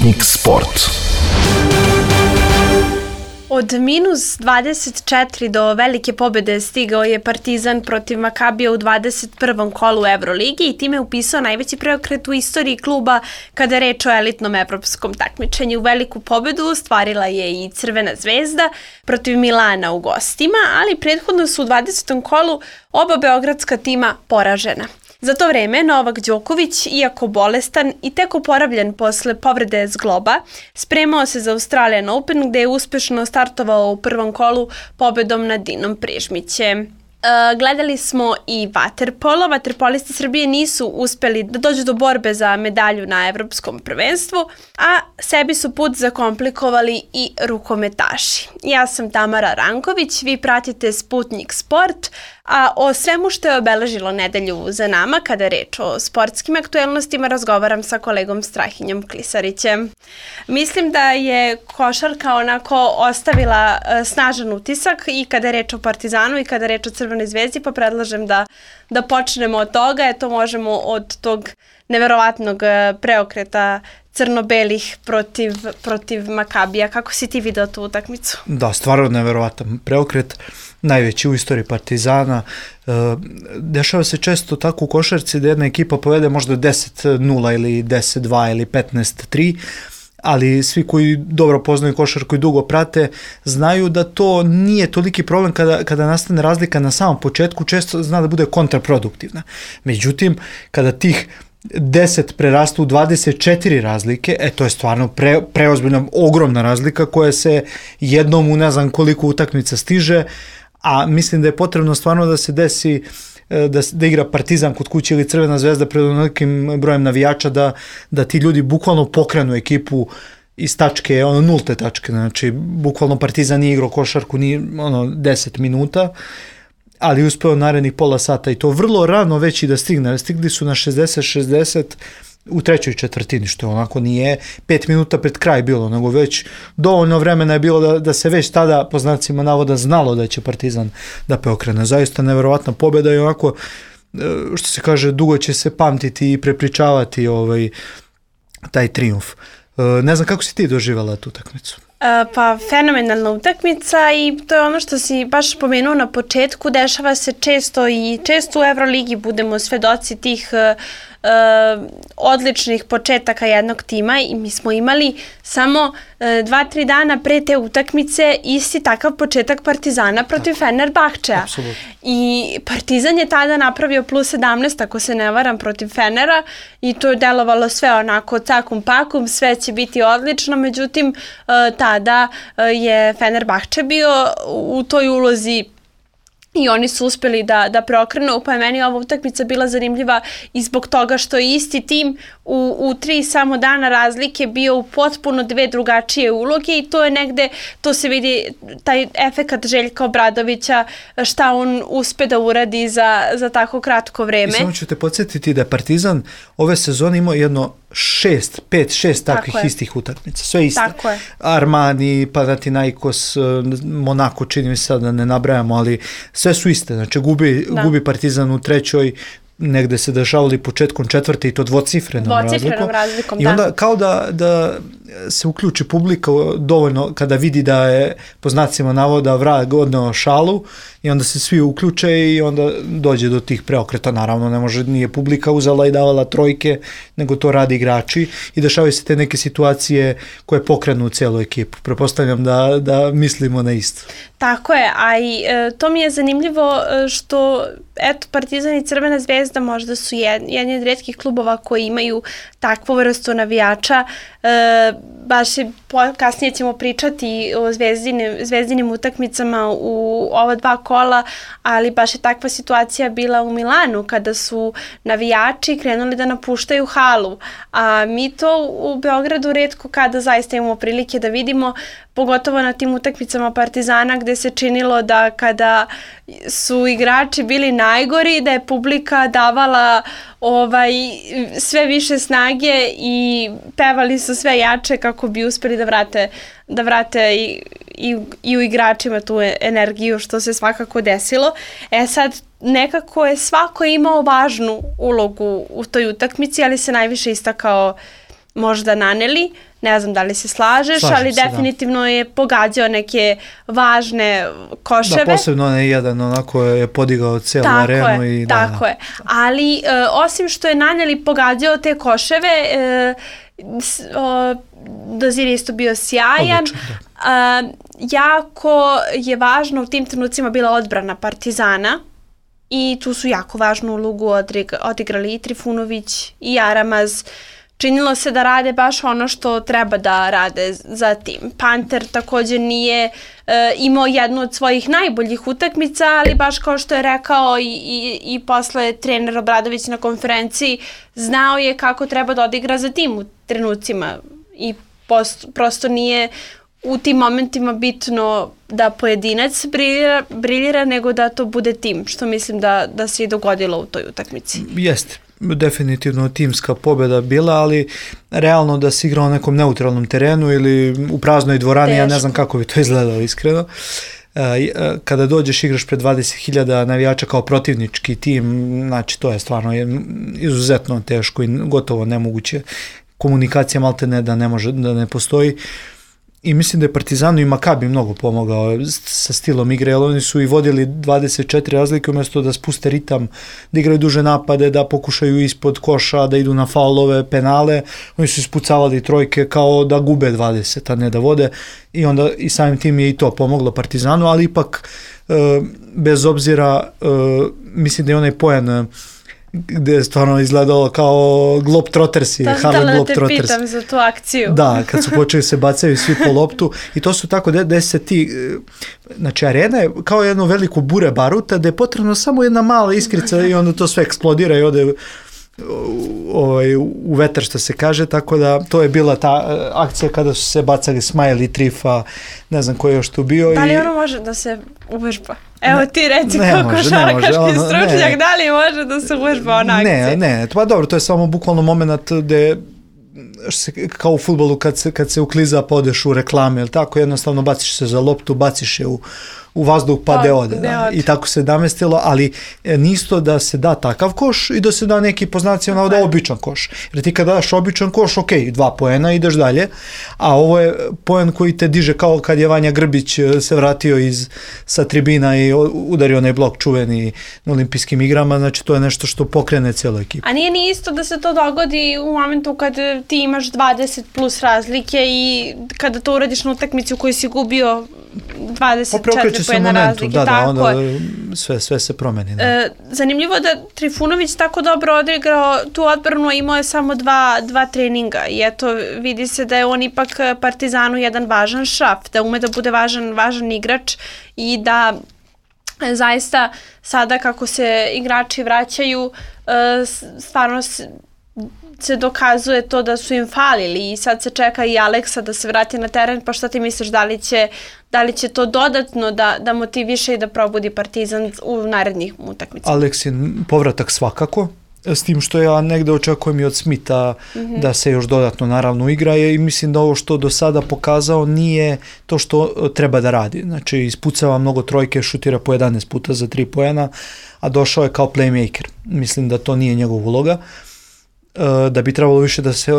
Sputnik Sport. Od minus 24 do velike pobede stigao je Partizan protiv Makabija u 21. kolu Euroligi i time upisao najveći preokret u istoriji kluba kada je reč o elitnom evropskom takmičenju. Veliku pobedu stvarila je i Crvena zvezda protiv Milana u gostima, ali prethodno su u 20. kolu oba beogradska tima poražena. Za to vreme Novak Đoković, iako bolestan i tek oporavljen posle povrede zgloba, spremao se za Australian Open gde je uspešno startovao u prvom kolu pobedom nad Dinom Prižmićem. Gledali smo i vaterpolo. Vaterpolisti Srbije nisu uspeli da dođu do borbe za medalju na evropskom prvenstvu, a sebi su put zakomplikovali i rukometaši. Ja sam Tamara Ranković, vi pratite Sputnik Sport, a o svemu što je obeležilo nedelju za nama, kada je reč o sportskim aktuelnostima, razgovaram sa kolegom Strahinjom Klisarićem. Mislim da je košarka onako ostavila snažan utisak i kada je reč o Partizanu i kada je reč o Crvenoj zvezdi, pa predlažem da počnemo od toga. Eto, možemo od tog neverovatnog preokreta crno-belih protiv Makabija. Kako si ti video tu utakmicu? Da, stvarno neverovatan preokret, najveći u istoriji Partizana. Dešava se često tako u košarci da jedna ekipa povede možda 10-0 ili 10-2 ili 15-3, ali svi koji dobro poznaju košarku i dugo prate znaju da to nije toliki problem kada nastane razlika na samom početku, često zna da bude kontraproduktivna. Međutim, kada tih 10 prerastu u 24 razlike, to je stvarno preozbiljna, ogromna razlika koja se jednom u ne znam koliko utakmica stiže, a mislim da je potrebno stvarno da se desi da igra Partizan kod kuće ili Crvena zvezda pred nekim brojem navijača, da ti ljudi bukvalno pokrenu ekipu iz tačke, nulte tačke, znači bukvalno Partizan nije igrao košarku ni 10 minuta, ali uspeo narednih pola sata i to vrlo rano već i da stigne. Stigli su na 60-60 u trećoj četvrtini, što onako nije 5 minuta pred kraj bilo, nego već dovoljno vremena je bilo da se već tada, po znacima navoda, znalo da će Partizan da preokrene. Zaista neverovatna pobjeda i onako, što se kaže, dugo će se pamtiti i prepričavati taj trijumf. Ne znam kako si ti doživjela tu utakmicu? Pa fenomenalna utakmica i to je ono što si baš pomenuo na početku, dešava se često i često u Euroligi budemo svedoci tih odličnih početaka jednog tima i mi smo imali samo 2-3 dana pre te utakmice isti takav početak Partizana protiv Fenerbahčea. I Partizan je tada napravio plus 17, ako se ne varam, protiv Fenera i to je delovalo sve onako cakum pakum, sve će biti odlično, međutim tada je Fenerbahče bio u toj ulozi i oni su uspeli da preokrenu, pa je meni ova utakmica bila zanimljiva i zbog toga što je isti tim u 3 samo dana razlike bio u potpuno 2 drugačije uloge i to je negde, to se vidi taj efekat Željka Obradovića, šta on uspe da uradi za tako kratko vreme. I samo ću te podsjetiti da je Partizan ove sezone imao jedno 5-6 takvih istih utakmica, sve iste. Tako je. Armani, Panathinaikos, Monako, čini mi se sad da ne nabrajamo, ali sve su iste, znači gubi Partizan u trećoj, negde se dešavali početkom četvrte i to dvocifrenom razlikom. I onda kao da se uključi publika dovoljno kada vidi da je po znacima navoda vrag odneo šalu i onda se svi uključe i onda dođe do tih preokreta. Naravno, nije publika uzela i davala trojke, nego to radi igrači i dešavaju se te neke situacije koje pokrenu celu ekipu. Prepostavljam da mislimo na isto. Tako je, a i to mi je zanimljivo što Partizan i Crvena zvezda možda su jedni od rijetkih klubova koji imaju takvu vrstu navijača. Baš kasnije ćemo pričati o zvezdinim utakmicama u ova 2 kola, ali baš je takva situacija bila u Milanu kada su navijači krenuli da napuštaju halu, a mi to u Beogradu retko kada zaista imamo prilike da vidimo, pogotovo na tim utakmicama Partizana gde se činilo da kada su igrači bili najgori, da je publika davala sve više snage i pevali su sve jače kako bi uspeli da vrate i u igračima tu energiju, što se svakako desilo. Sad, nekako je svako imao važnu ulogu u toj utakmici, ali se najviše istakao možda Naneli. Ne znam da li se slažeš, ali definitivno je pogađao neke važne koševe. Da, posebno onaj jedan onako je podigao cijelu arenu. Tako je. Ali osim što je naneli pogađao te koševe, Dozir je isto bio sjajan. Odlično, jako je važno u tim trenucima bila odbrana Partizana i tu su jako važnu ulogu odigrali i Trifunović i Jaramaz. Činilo se da rade baš ono što treba da rade za tim. Panter također nije imao jednu od svojih najboljih utakmica, ali baš kao što je rekao i posle trener Obradović na konferenciji, znao je kako treba da odigra za tim u trenucima i prosto nije u tim momentima bitno da pojedinac briljira, nego da to bude tim, što mislim da se i dogodilo u toj utakmici. Jeste. Definitivno timska pobjeda bila, ali realno da se igra na nekom neutralnom terenu ili u praznoj dvorani, ja ne znam kako bi to izgledalo iskreno. Kada dođeš igraš pred 20.000 navijača kao protivnički tim, znači to je stvarno izuzetno teško i gotovo nemoguće. Komunikacija maltene da ne postoji. I mislim da je Partizanu i Makabi mnogo pomogao sa stilom igre, jer oni su i vodili 24 razlike umjesto da spuste ritam, da igraju duže napade, da pokušaju ispod koša, da idu na faulove, penale. Oni su ispucavali trojke kao da gube 20, a ne da vode. I onda i samim tim je i to pomoglo Partizanu, ali ipak bez obzira mislim da je onaj poen gdje je stvarno izgledalo kao Globetrottersi, Harlem Globetrotters. Da te pitam za tu akciju. Da, kad su počeli se bacaju svi po loptu i to su tako da se ti, znači arena je kao jedno veliko bure baruta gdje je potrebno samo jedna mala iskrica i onda to sve eksplodira i ode u vetar što se kaže, tako da to je bila ta akcija kada su se bacali Smile i Trifa, ne znam ko je još tu bio. Da li ono može da se uvežba? Evo ti reci kao košarkaški stručnjak, da li može da se uvežba ona akcija? Ne, pa dobro, to je samo bukvalno moment gde kao u fudbalu kad se ukliza pa odeš u reklame, ili tako, jednostavno baciš se za loptu, baciš je u vazduh pa de ode. I tako se namestilo, ali nisto da se da takav koš i da se da neki poznaci da običan koš. Jer ti kad daš običan koš, ok, 2 poena, ideš dalje, a ovo je poen koji te diže kao kad je Vanja Grbić se vratio sa tribina i udario onaj blok čuveni na olimpijskim igrama, znači to je nešto što pokrene cijelu ekipu. A nije ni isto da se to dogodi u momentu kad ti imaš 20 plus razlike i kada to uradiš na utakmici u kojoj si gubio 24 pojena razlike. Da, onda sve se promeni. Zanimljivo da Trifunović tako dobro odigrao tu odbranu, a imao je samo dva treninga i eto vidi se da je on ipak Partizanu jedan važan šraf, da ume da bude važan igrač i da zaista sada kako se igrači vraćaju stvarno se dokazuje to da su im falili i sad se čeka i Aleksa da se vrati na teren, pa šta ti misliš da li će to dodatno da motiviše i da probudi Partizan u narednih utakmicama? Aleksin povratak svakako, s tim što ja negde očekujem i od Smitha da se još dodatno naravno igra i mislim da ovo što do sada pokazao nije to što treba da radi. Znači ispucava mnogo trojke, šutira po 11 puta za 3 poena, a došao je kao playmaker. Mislim da to nije njegov uloga, da bi trebalo više da se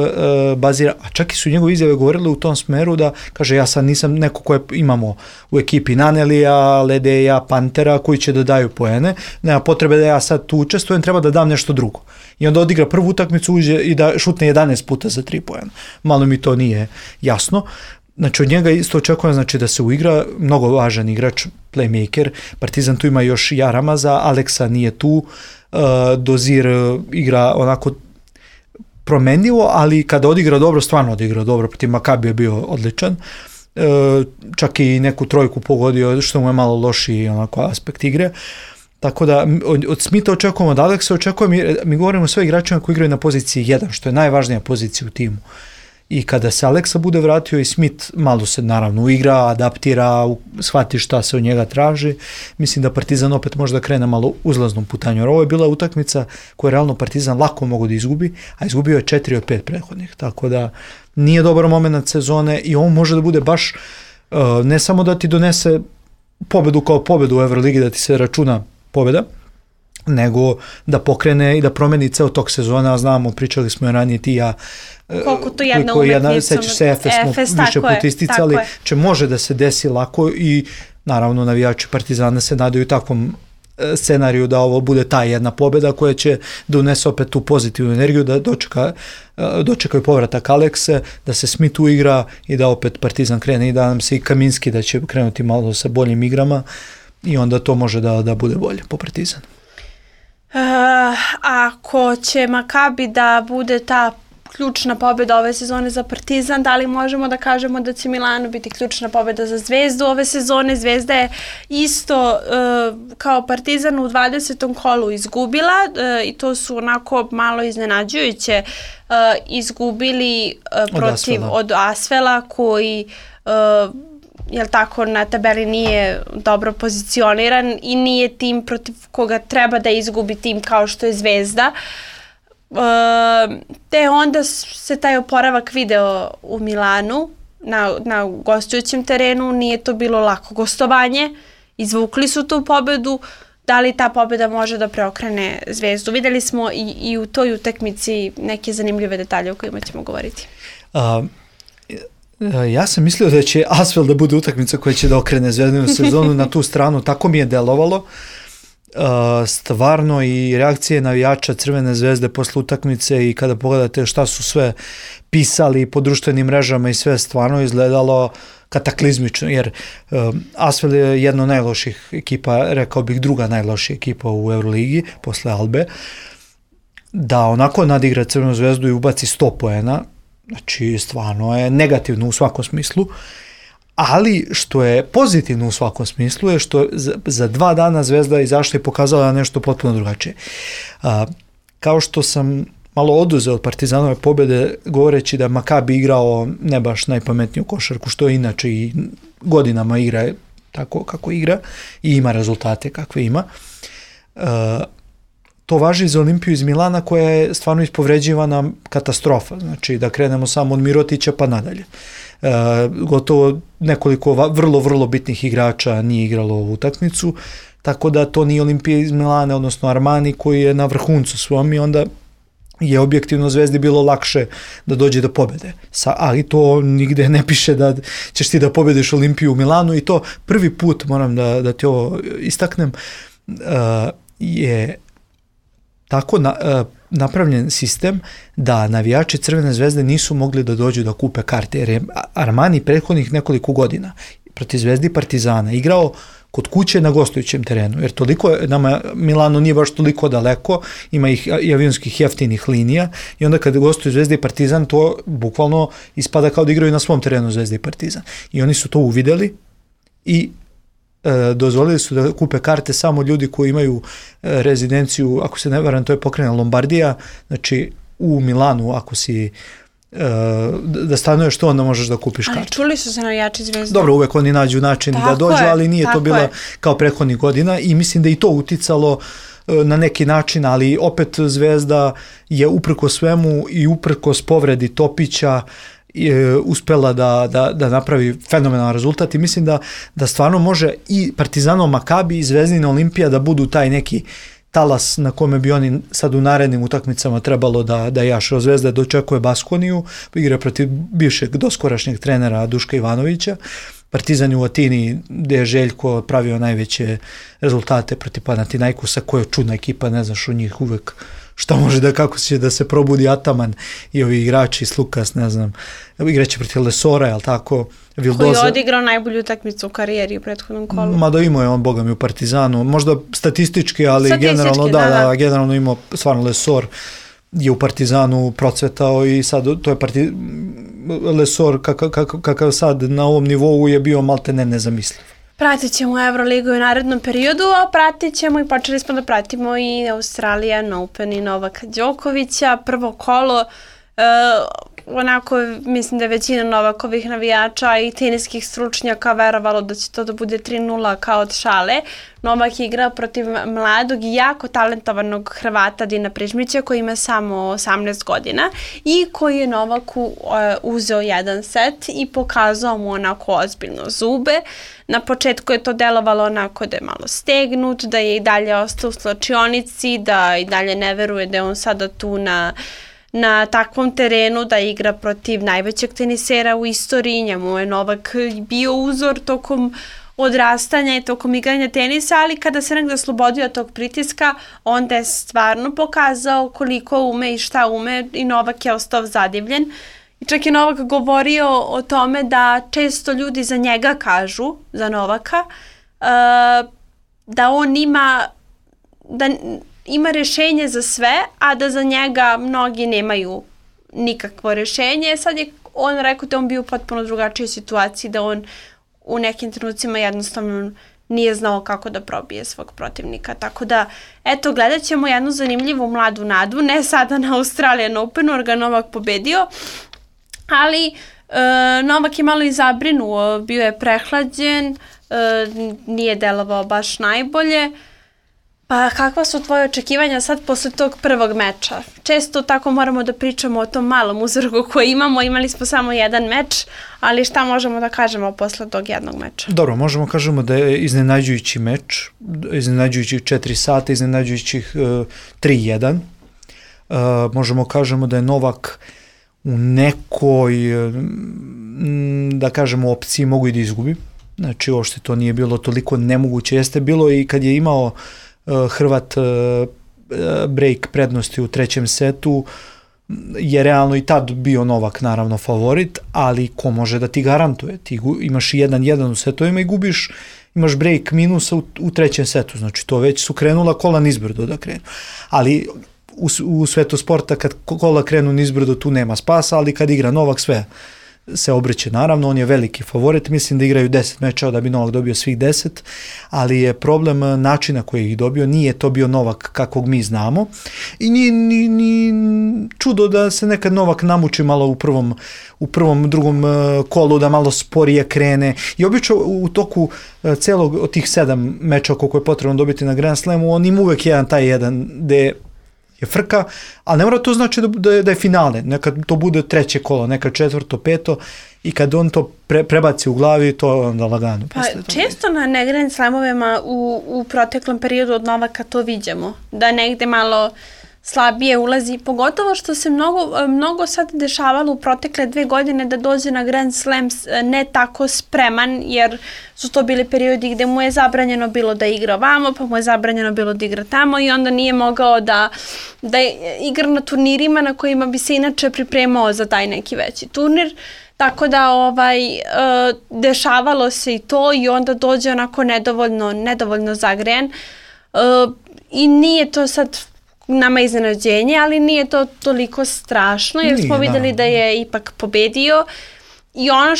bazira, a čak i su njegove izjave govorile u tom smeru da, kaže, ja sad nisam neko koje imamo u ekipi Nanelija, Ledeja, Pantera koji će da daju poene, nema potrebe da ja sad tu učestvujem, treba da dam nešto drugo. I onda odigra prvu utakmicu, uđe i da šutne 11 puta za 3 poena. Malo mi to nije jasno. Znači od njega isto očekujem, znači, da se uigra, mnogo važan igrač, playmaker, Partizan tu ima još Jaramaza, Aleksa nije tu, Dozir igra onako promenljivo, ali kada odigra dobro, stvarno odigra dobro, protiv Makabi je bio odličan, čak i neku trojku pogodio, što mu je malo lošiji onako aspekt igre, tako da od Smitha očekujemo, od Aleksa očekujem, mi govorimo o sve igračima koji igraju na poziciji 1, što je najvažnija pozicija u timu. I kada se Aleksa bude vratio i Smith malo se naravno uigra, adaptira, shvati šta se od njega traži, mislim da Partizan opet može da krene malo uzlaznom putanju. Jer ovo je bila utakmica koju realno Partizan lako mogu da izgubi, a izgubio je 4 od 5 prethodnih. Tako da nije dobar moment sezone i ovo može da bude baš ne samo da ti donese pobedu kao pobedu u Euroligi, da ti se računa pobeda, nego da pokrene i da promeni ceo tok sezona, a znamo, pričali smo ranije ti ja, koliko to jedna umetnica, sećaš se, Efes smo više puta isticali, će može da se desi lako i naravno navijači Partizana se nadaju takvom scenariju da ovo bude ta jedna pobjeda koja će da unese opet tu pozitivnu energiju, da dočekaju povratak Alekse, da se Smith uigra i da opet Partizan krene i da nam se i Kaminski da će krenuti malo sa boljim igrama i onda to može da bude bolje po Partizan. Ako će Makabi da bude ta ključna pobjeda ove sezone za Partizan, da li možemo da kažemo da će Milano biti ključna pobjeda za Zvezdu ove sezone? Zvezda je isto kao Partizan u 20. kolu izgubila i to su onako malo iznenađujuće izgubili od Asvela koji jel tako, na tabeli nije dobro pozicioniran i nije tim protiv koga treba da izgubi tim kao što je Zvezda. Te onda se taj oporavak video u Milanu na gostujućem terenu, nije to bilo lako gostovanje, izvukli su tu pobedu. Da li ta pobjeda može da preokrene Zvezdu? Videli smo i u toj utakmici neke zanimljive detalje o kojima ćemo govoriti. Ja sam mislio da će Asvel da bude utakmica koja će da okrene Zvezdinu sezonu na tu stranu, tako mi je delovalo. Stvarno i reakcije navijača Crvene Zvezde posle utakmice i kada pogledate šta su sve pisali po društvenim mrežama i sve, stvarno izgledalo kataklizmično, jer Asvel je jedna od najloših ekipa, rekao bih druga najlošija ekipa u Euroligi posle Albe, da onako nadigra Crvenu Zvezdu i ubaci 100 poena, znači stvarno je negativno u svakom smislu. Ali što je pozitivno u svakom smislu je što za 2 dana Zvezda izašla i pokazala nešto potpuno drugačije. Kao što sam malo oduzeo od Partizanove pobjede govoreći da Makabi igrao ne baš najpametniju košarku, što je inače i godinama igra tako kako igra i ima rezultate kakve ima. To važi za Olimpiju iz Milana koja je stvarno ispovređivana katastrofa. Znači da krenemo samo od Mirotića pa nadalje. Gotovo nekoliko vrlo bitnih igrača nije igralo ovu utakmicu, tako da to nije Olimpija iz Milana, odnosno Armani koji je na vrhuncu svom i onda je objektivno Zvezdi bilo lakše da dođe do pobjede. Ali to nigde ne piše da ćeš ti da pobjediš Olimpiju u Milanu i to prvi put, moram da ti ovo istaknem, je tako napravljen sistem da navijači Crvene Zvezde nisu mogli da dođu da kupe karte, jer je Armani prethodnih nekoliko godina protiv Zvezdi i Partizana igrao kod kuće na gostujućem terenu, jer toliko nama Milano nije baš toliko daleko, ima ih i avionskih jeftinih linija i onda kad gostuju Zvezda i Partizan to bukvalno ispada kao da igraju na svom terenu Zvezda i Partizan i oni su to uvideli i dozvolili su da kupe karte samo ljudi koji imaju rezidenciju, ako se ne varam, to je pokrajina Lombardija, znači u Milanu, ako si da stanuješ to, onda možeš da kupiš karte. Ali čuli su se navijači Zvezde. Dobro, uvek oni nađu način da dođu, ali nije to bilo kao prethodnih godina i mislim da i to uticalo na neki način, ali opet Zvezda je uprkos svemu i uprkos povredi Topića uspela da napravi fenomenalan rezultat i mislim da stvarno može i Partizanov Makabi i Zvezdina Olimpija da budu taj neki talas na kome bi oni sad u narednim utakmicama trebalo da jašu. Zvezda dočekuje Baskoniju, igra protiv bivšeg doskorašnjeg trenera Duška Ivanovića, Partizan je u Atini gde je Željko pravio najveće rezultate protiv Panathinaikosa, koja je čudna ekipa, ne znaš u njih uvek šta može kako će da se probudi Ataman i ovi igrači, Slukas, ne znam, igraće protiv Lesora, jel tako? Vildoza. Koji je odigrao najbolju utakmicu u karijeri u prethodnom kolu. Mada imao je on, boga mi, u Partizanu, možda statistički, ali generalno, generalno imao stvarno Lesor je u Partizanu procvetao i sad to je Lesor kakav sad na ovom nivou je bio malte nezamisliv. Pratit ćemo Euroligu u narednom periodu, a pratit ćemo i počeli smo da pratimo i Australian Open i Novaka Đokovića. Prvo kolo, onako mislim da je većina Novakovih navijača i teniskih stručnjaka verovalo da će to da bude 3-0 kao od šale. Novak je igrao protiv mladog i jako talentovanog Hrvata Dina Prižmića koji ima samo 18 godina i koji je Novaku uzeo jedan set i pokazao mu onako ozbiljno zube. Na početku je to delovalo onako da je malo stegnut, da je i dalje ostao u slačionici, da i dalje ne veruje da je on sada tu na takvom terenu, da igra protiv najvećeg tenisera u istoriji. Njemu je Novak bio uzor tokom odrastanja i tokom igranja tenisa, ali kada se negde oslobodio tog pritiska, onda je stvarno pokazao koliko ume i šta ume i Novak je ostao zadivljen. I čak je Novak govorio o tome da često ljudi za njega kažu, za Novaka, da on ima rešenje za sve, a da za njega mnogi nemaju nikakvo rešenje. Sad je on rekao da on bio u potpuno drugačijoj situaciji, da on u nekim trenucima jednostavno nije znao kako da probije svog protivnika. Tako da, eto, gledat ćemo jednu zanimljivu mladu nadu, ne sada na Australian Openu, jer ga Novak pobedio, ali Novak je malo i zabrinuo, bio je prehlađen, nije delovao baš najbolje. Pa kakva su tvoje očekivanja sad posle tog prvog meča? Često tako moramo da pričamo o tom malom uzorku koji imamo, imali smo samo jedan meč, ali šta možemo da kažemo posle tog jednog meča? Dobro, možemo kažemo da je iznenađujući meč, iznenađujućih 4 sata, iznenađujućih 3-1. Možemo kažemo da je Novak u nekoj, da kažemo, opciji mogu i da izgubi. Znači, uopšte to nije bilo toliko nemoguće. Jeste bilo i kad je imao Hrvat break prednosti u trećem setu, je realno i tad bio Novak naravno favorit, ali ko može da ti garantuje? Ti imaš 1-1 u setovima i gubiš, imaš break minusa u trećem setu, znači to već su krenula kola nizbrdo da krenu. Ali u svetu sporta kad kola krenu nizbrdo tu nema spasa, ali kad igra Novak sve se obreće naravno, on je veliki favorit, mislim da igraju 10 mečeva da bi Novak dobio svih 10, ali je problem načina koji ih dobio, nije to bio Novak kakvog mi znamo i nije čudo da se nekad Novak namuči malo u prvom, drugom kolu, da malo sporije krene i obično u toku celog od tih 7 meča koliko je potrebno dobiti na Grand Slamu, on ima uvek taj jedan gde je frka, ali ne mora to znači da je finale, nekad to bude treće kolo, nekad četvrto, peto i kad on to prebaci u glavi, to je onda lagano. Pa često na Grand Slamovima u proteklom periodu od Novaka to viđamo, da negde malo slabije ulazi, pogotovo što se mnogo sad dešavalo u protekle 2 godine da dođe na Grand Slam ne tako spreman, jer su to bili periodi gde mu je zabranjeno bilo da igra ovamo, pa mu je zabranjeno bilo da igra tamo i onda nije mogao da igra na turnirima na kojima bi se inače pripremao za taj neki veći turnir. Tako da dešavalo se i to i onda dođe onako nedovoljno zagrejan i nije to sad nama iznenađenje, ali nije to toliko strašno jer smo videli da je ipak pobedio i ono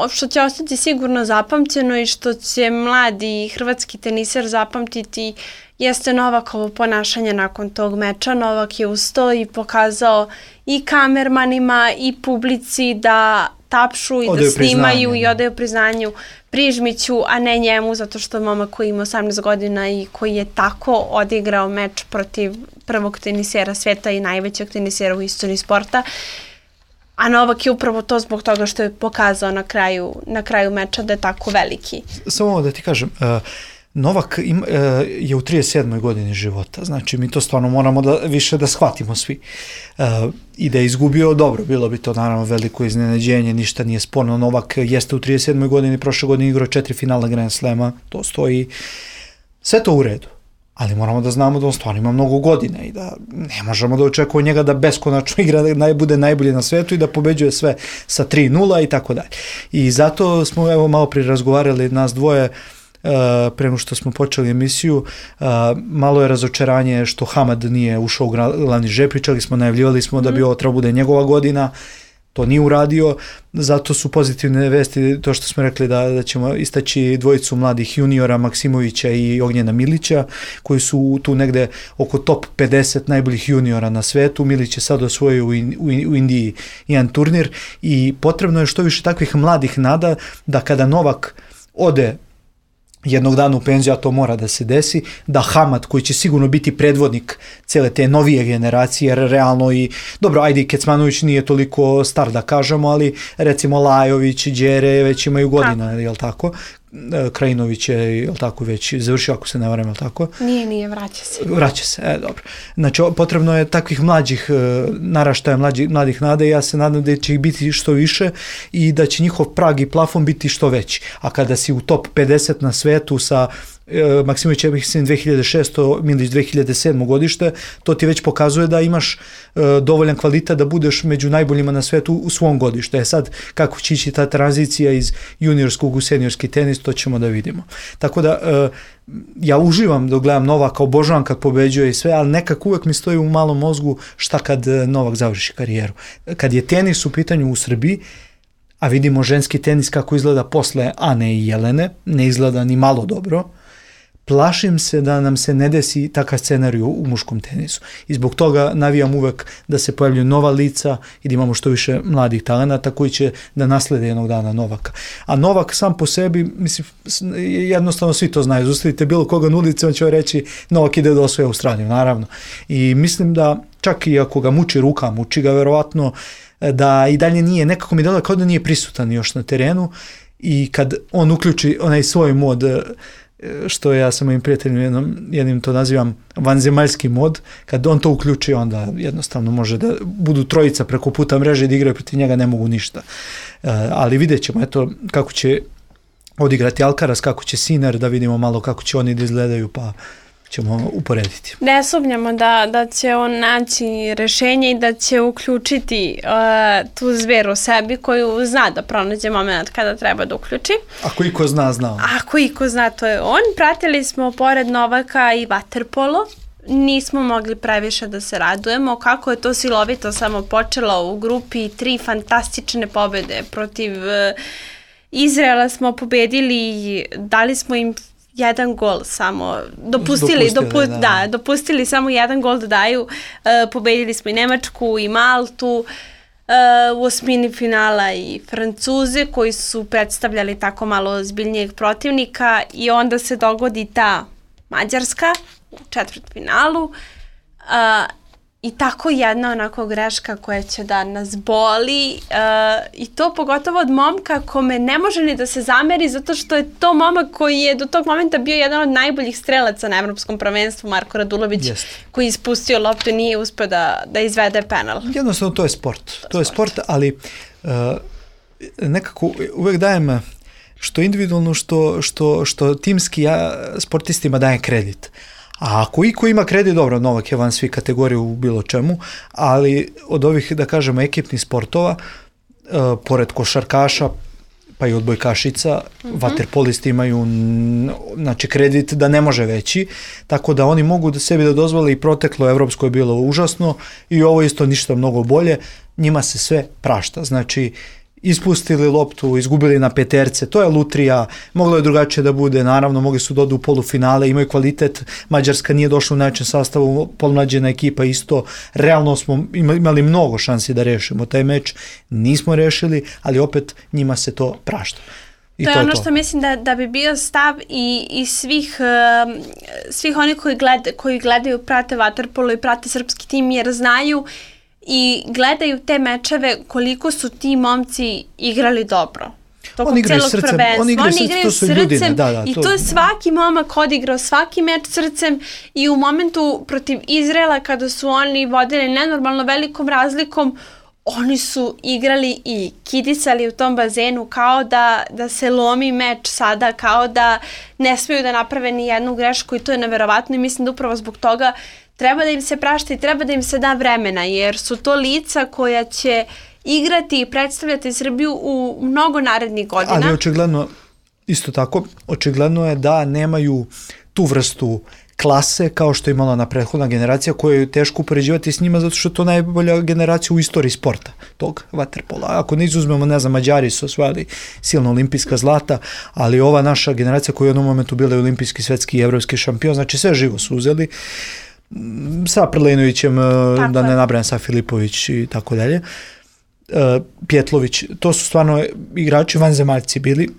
što će ostati sigurno zapamćeno i što će mladi hrvatski teniser zapamtiti jeste Novakovo ponašanje nakon tog meča. Novak je ustao i pokazao i kamermanima i publici da tapšu i da snimaju i odaju priznanju Prižmiću, a ne njemu, zato što momak koji ima 18 godina i koji je tako odigrao meč protiv prvog tenisera sveta i najvećeg tenisera u istoriji sporta. A Novak je upravo to zbog toga što je pokazao na kraju meča da je tako veliki. Samo da ti kažem, Novak je u 37. godini života, znači mi to stvarno moramo više da shvatimo svi. I da je izgubio, dobro, bilo bi to naravno veliko iznenađenje, ništa nije sporno. Novak jeste u 37. godini, prošle godine igrao 4 finala Grand Slama, to stoji, sve to u redu. Ali moramo da znamo da on stvarno ima mnogo godina i da ne možemo da očekujemo njega da beskonačno igra, da bude najbolji na svetu i da pobeđuje sve sa 3-0 i tako dalje. I zato smo malo prije razgovarali nas dvoje, prema što smo počeli emisiju, malo je razočaranje što Hamad nije ušao u glavni žep, pričali smo, najavljivali smo da bi ovo trebalo bude njegova godina, to nije uradio, zato su pozitivne vesti to što smo rekli da ćemo istaći dvojicu mladih juniora Maksimovića i Ognjena Milića, koji su tu negde oko top 50 najboljih juniora na svetu. Milić je sad osvojio u Indiji jedan turnir i potrebno je što više takvih mladih nada da kada Novak ode jednog dana u penziju, a to mora da se desi, da Hamad, koji će sigurno biti predvodnik cele te novije generacije, jer realno i, dobro, ajde i Kecmanović nije toliko star da kažemo, ali recimo Lajović i Đere već imaju godina, jel tako? Krajinović je, jel tako, već završio, ako se ne varam, jel tako? Nije, vraća se. Vraća se, dobro. Znači, potrebno je takvih mlađih naraštaja, mladih nada i ja se nadam da će ih biti što više i da će njihov prag i plafon biti što veći. A kada si u top 50 na svetu sa Maksimović je 2600, Milić 2007. godište, to ti već pokazuje da imaš dovoljan kvalitet da budeš među najboljima na svetu u svom godištu. Sad, kako će ići ta tranzicija iz juniorskog u seniorski tenis, to ćemo da vidimo. Tako da, ja uživam dok gledam Novaka, obožavam kad pobeđuje i sve, ali nekako uvek mi stoji u malom mozgu šta kad Novak završi karijeru. Kad je tenis u pitanju u Srbiji, a vidimo ženski tenis kako izgleda posle Ane i Jelene, ne izgleda ni malo dobro, plašim se da nam se ne desi takav scenarij u muškom tenisu. I zbog toga navijam uvek da se pojavljuju nova lica i da imamo što više mladih talenata koji će da naslede jednog dana Novaka. A Novak sam po sebi, mislim, jednostavno svi to znaju. Zustavite bilo koga na ulici, on će reći Novak ide da osvoji Australiju, naravno. I mislim da čak i ako ga muči ruka, muči ga verovatno, da i dalje nije, nekako mi delo kao da nije prisutan još na terenu i kad on uključi onaj svoj mod, što ja sa mojim prijateljima jednim to nazivam vanzemaljski mod, kad on to uključi, onda jednostavno može da budu trojica preko puta mreže i da igraju protiv njega, ne mogu ništa. Ali vidjet ćemo, eto, kako će odigrati Alcaraz, kako će Sinner, da vidimo malo kako će oni da izgledaju, pa ćemo uporediti. Ne sumnjamo da će on naći rešenje i da će uključiti tu zver u sebi koju zna da pronađe moment kada treba da uključi. Ako iko zna, zna on. Ako iko zna, to je on. Pratili smo pored Novaka i vaterpolo. Nismo mogli previše da se radujemo. Kako je to silovito samo počelo u grupi, 3 fantastične pobede protiv Izraela smo pobedili, dali smo im jedan gol samo, dopustili samo jedan gol da daju, pobedili smo i Nemačku i Maltu, u osmini finala i Francuze koji su predstavljali tako malo ozbiljnijeg protivnika i onda se dogodi ta Mađarska u četvrtfinalu i tako jedna onako greška koja će da nas boli i to pogotovo od momka kome ne može ni da se zameri zato što je to momak koji je do tog momenta bio jedan od najboljih strelaca na evropskom prvenstvu, Marko Radulović, koji je ispustio loptu i nije uspeo da izvede penal. Jednostavno to je sport. To je sport, ali nekako uvek dajem što individualno, što timski ja sportistima dajem kredit. A ako iko ima kredit, dobro, Novak je van svi kategorije u bilo čemu, ali od ovih, da kažemo, ekipnih sportova, pored košarkaša, pa i odbojkašica, vaterpolisti imaju znači, kredit da ne može veći, tako da oni mogu da sebi da dozvole i proteklo evropsko je bilo užasno i ovo isto ništa mnogo bolje, njima se sve prašta, znači ispustili loptu, izgubili na peterce, to je lutrija, moglo je drugačije da bude, naravno, mogli su da odu u polufinale, imaju kvalitet, Mađarska nije došla u najvećem sastavu, polumlađena ekipa isto, realno smo imali mnogo šansi da rešimo taj meč, nismo rešili, ali opet njima se to prašta. To je ono što mislim da bi bio stav i svih onih koji gledaju, prate vaterpolo i prate srpski tim jer znaju i gledaju te mečeve koliko su ti momci igrali dobro. Oni igraju srcem, to su ljudine. I to je svaki momak odigrao svaki meč srcem i u momentu protiv Izraela kada su oni vodili nenormalno velikom razlikom, oni su igrali i kidisali u tom bazenu kao da se lomi meč sada, kao da ne smiju da naprave ni jednu grešku i to je neverovatno i mislim da upravo zbog toga treba da im se prašta i treba da im se da vremena, jer su to lica koja će igrati i predstavljati Srbiju u mnogo narednih godina. Ali očigledno, isto tako, očigledno je da nemaju tu vrstu klase kao što je imala ona prethodna generacija, koju je teško upoređivati s njima zato što je to najbolja generacija u istoriji sporta tog vaterpola. Ako ne izuzmemo, ne znam, Mađari su osvajali silno olimpijska zlata, ali ova naša generacija koja je u jednom momentu bila olimpijski, svetski i evropski šampion, znači sve živo su uzeli sa Prlenovićem, da ne nabrajam, sa Filipović i tako dalje, Pjetlović, to su stvarno igrači vanzemaljci bili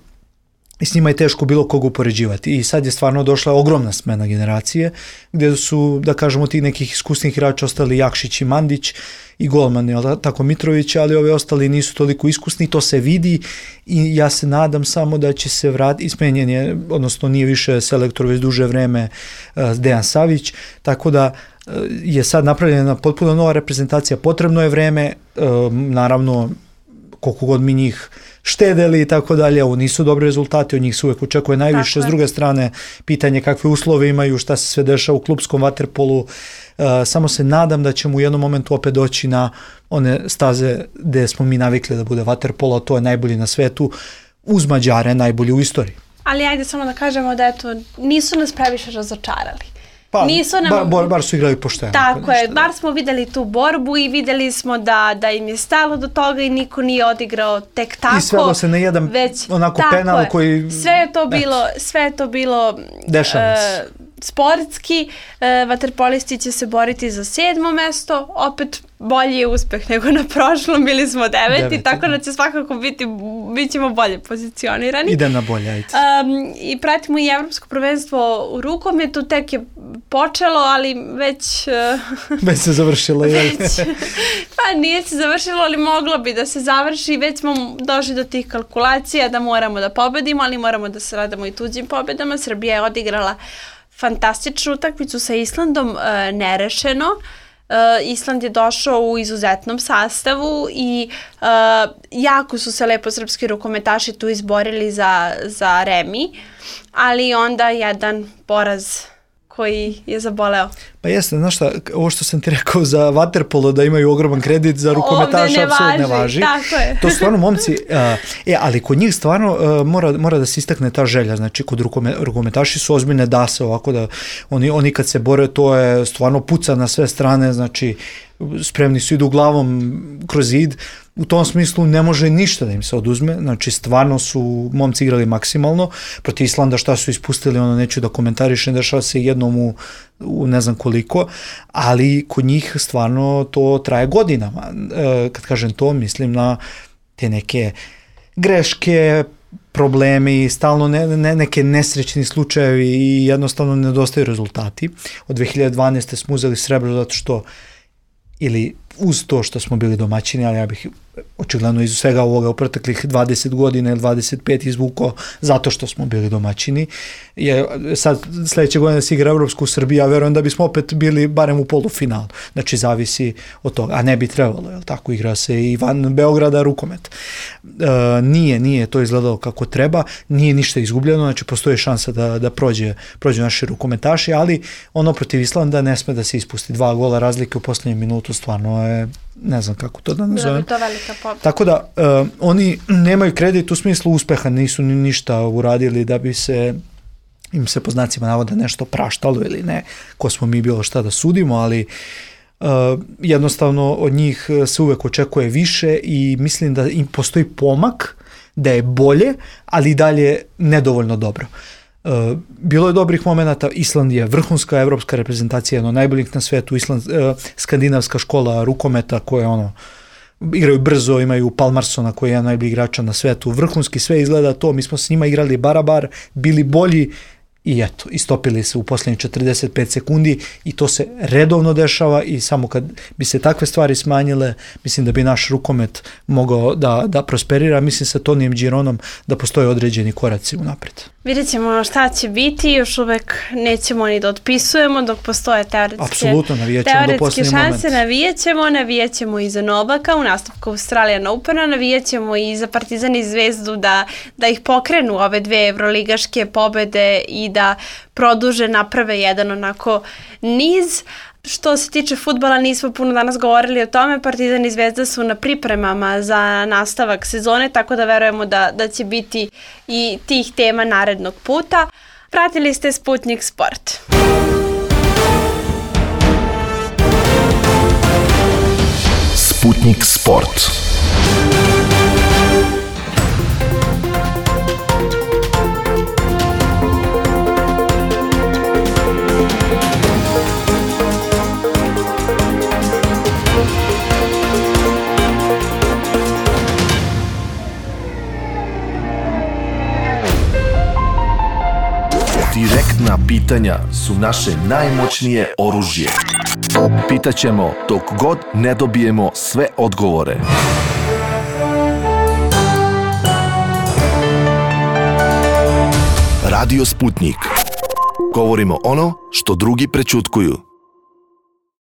i s njima je teško bilo koga upoređivati. I sad je stvarno došla ogromna smena generacije, gdje su, da kažemo, tih nekih iskusnih igrača ostali Jakšić i Mandić i golman, tako Mitrović, ali ove ostali nisu toliko iskusni, to se vidi i ja se nadam samo da će se vratiti, smenjen je, odnosno nije više selektor već duže vreme Dejan Savić, tako da je sad napravljena potpuno nova reprezentacija, potrebno je vreme, naravno koliko god mi njih štedeli i tako dalje, ovo nisu dobri rezultati, od njih se uvek očekuje najviše. S druge strane, pitanje kakve uslove imaju, šta se sve dešava u klupskom vaterpolu, samo se nadam da ćemo u jednom momentu opet doći na one staze gde smo mi navikli da bude vaterpolo, to je najbolji na svetu, uz Mađare najbolji u istoriji. Ali ajde samo da kažemo da eto, nisu nas previše razočarali. Pa, bar su igrali pošteno. Tako je, bar smo videli tu borbu i videli smo da im je stalo do toga i niko nije odigrao tek tako. I svelo se na jedan onako penal koji... Sve je to bilo sportski, vaterpolisti će se boriti za 7. mesto, opet bolji je uspeh nego na prošlom, bili smo 9. tako da će svakako bit ćemo bolje pozicionirani. Ide na bolje, ajde. I pratimo i evropsko prvenstvo u rukometu, tek je počelo, ali već... već se završilo, je. Pa nije se završilo, ali moglo bi da se završi, već smo došli do tih kalkulacija da moramo da pobedimo, ali moramo da se radimo i tuđim pobedama. Srbija je odigrala fantastičnu utakmicu sa Islandom, nerešeno. Island je došao u izuzetnom sastavu i jako su se lepo srpski rukometaši tu izborili za remi, ali onda jedan poraz koji je zaboleo. Pa jeste, znaš šta, ovo što sam ti rekao za vaterpolo da imaju ogroman kredit, za rukometaša apsolutno ne važi. Tako je. To su stvarno momci, ali kod njih stvarno mora da se istakne ta želja, znači kod rukometaši su ozbiljne dase, ovako da oni kad se bore to je stvarno puca na sve strane, znači spremni su idu glavom kroz zid, u tom smislu ne može ništa da im se oduzme, znači stvarno su momci igrali maksimalno, protiv Islanda šta su ispustili, neću da komentarišem, dešava se jednom u ne znam koliko, ali kod njih stvarno to traje godinama, kad kažem to mislim na te neke greške, problemi, stalno neke nesrećni slučajevi i jednostavno nedostaju rezultati. Od 2012. smo uzeli srebro zato što ili uz to što smo bili domaćini, ali ja bih očigledno iz svega ovoga u proteklih 20 godina ili 25 izvukao zato što smo bili domaćini. Sad sledeće godine se igra Evropsku u Srbiji, ja verujem da bismo opet bili barem u polufinalu. Znači zavisi od toga, a ne bi trebalo, jel tako, igra se i van Beograda rukomet. Nije to izgledalo kako treba, nije ništa izgubljeno, znači postoji šansa da prođe naši rukometaši, ali ono protiv Islanda ne sme da se ispusti, 2 gola razlike u poslednjem minutu, stvarno je, ne znam kako to da nazovem. To velika pobjeda. Tako da oni nemaju kredit u smislu uspeha, nisu ni ništa uradili da bi se im se po znacima navoda nešto praštalo ili ne, ko smo mi bilo šta da sudimo, ali jednostavno od njih se uvek očekuje više i mislim da im postoji pomak, da je bolje, ali i dalje nedovoljno dobro. Bilo je dobrih momenata, Island je vrhunska evropska reprezentacija, jedno najboljih na svetu, skandinavska škola rukometa koja igraju brzo, imaju Palmarsona koji je jedan najbolji igrača na svetu, vrhunski sve izgleda to, mi smo s njima igrali barabar, bili bolji i eto, istopili se u posljednjih 45 sekundi i to se redovno dešava i samo kad bi se takve stvari smanjile, mislim da bi naš rukomet mogao da prosperira, mislim sa Tonijem Gironom da postoje određeni koraci unapred. Vidjet ćemo šta će biti, još uvek nećemo ni da otpisujemo dok postoje teoretske šanse, navijat ćemo i za Novaka u nastavku Australian Opena, navijat ćemo i za Partizan i Zvezdu da ih pokrenu ove 2 evroligaške pobede i da produže, naprave jedan onako niz. Što se tiče fudbala, nismo puno danas govorili o tome, Partizan i Zvezda su na pripremama za nastavak sezone, tako da verujemo da će biti i tih tema narednog puta. Pratili ste Sputnik Sport. Sputnik Sport. Direktna pitanja su naše najmoćnije oružje. Pitaćemo dok god ne dobijemo sve odgovore. Radio Sputnik. Govorimo ono što drugi prećutkuju.